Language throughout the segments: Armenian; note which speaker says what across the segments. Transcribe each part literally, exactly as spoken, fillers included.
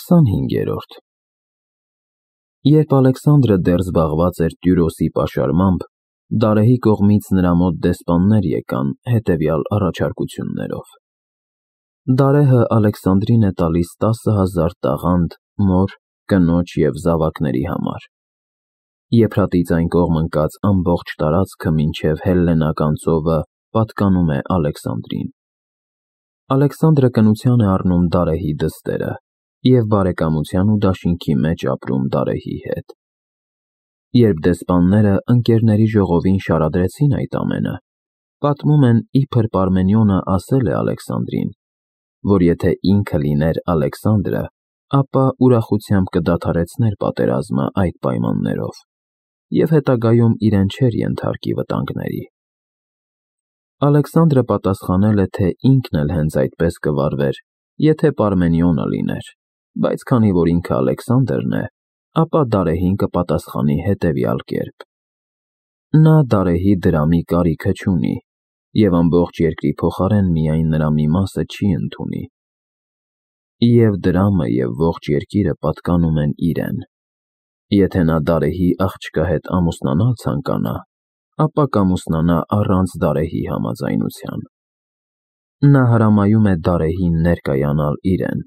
Speaker 1: քսանհինգերորդ Երբ Ալեքսանդրը դեռ զբաղված էր Տյուրոսի պաշարմամբ, Դարեհի կողմից նրա մոտ դեսպաններ եկան հետևյալ առաջարկություններով. Դարեհը Ալեքսանդրին է տալիս տասը հազար տաղանդ մոր, կնոջ և զավակների համար։ Եփրատից այն կողմ ընկած ամբողջ տարածքը մինչև Հելլենական ծովը պատկանում է Ալեքսանդրին։ Ալեքսանդրը կնության է առնում Դարեհի դստերը և բարեկամության ու դաշինքի մեջ ապրում Դարեհի հետ։ Երբ դեսպանները ընկերների ժողովին շարադրեցին այդ ամենը, պատմում են, իբր Պարմենիոնը ասել է Ալեքսանդրին, որ եթե ինքը լիներ Ալեքսանդրը, ապա ուրախությամբ կդադարեցներ պատերազմը այդ պայմաններով և հետագայում իրեն չէր ենթարկի վտանգների։ Ալեքսանդրը պատասխանել է, թե ինքն էլ հենց այդպես կվարվեր, եթե Պարմենիոնը լիներ, բայց քանի որ ինքը Ալեքսանդրն է, ապա Դարեհին կպատասխանի հետևյալ կերպ. Նա Դարեհի դրամի կարիքը չունի և ամբողջ երկրի փոխարեն միայն նրա մի մասը չի ընդունի, և դրամը և ողջ երկիրը պատկանում են իրեն։ Եթե նա Դարեհի աղջկա հետ ամուսնանալ ցանկանա, ապա կամուսնանա առանց Դարեհի համաձայնության։ Նա հրամայում է Դարեհին ներկայանալ իրեն,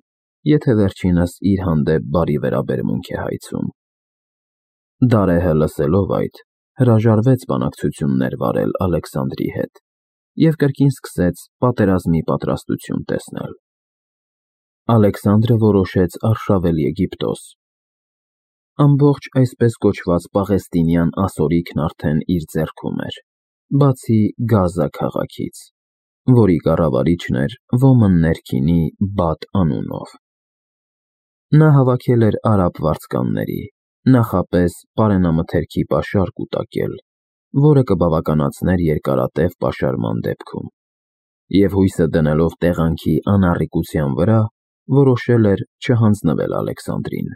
Speaker 1: եթե վերջինս իր հանդեպ բարի վերաբերմունք է հայցում։ Դարեհը լսելով այդ, հրաժարվեց բանակցություններ վարել Ալեքսանդրի հետ և կրկին սկսեց պատերազմի պատրաստություն տեսնել։ Ալեքսանդրը որոշեց արշավել Եգիպտոս։ Ամբողջ այսպես կոչված պաղեստինյան ասորիքն արդեն իր ձեռքում էր, բացի Գազա քաղաքից, որի կառավարիչն էր ոմն ներքինի Բաթ անունով։ Նա հավաքել էր արաբ վարձկանների, նախապես պարենամթերքի պաշար կուտակել, որը կբավականացներ երկարատև պաշարման դեպքում, և հույսը դնելով տեղանքի անառիկության վրա, որոշել էր չհանձնվել Ալեքսանդրին։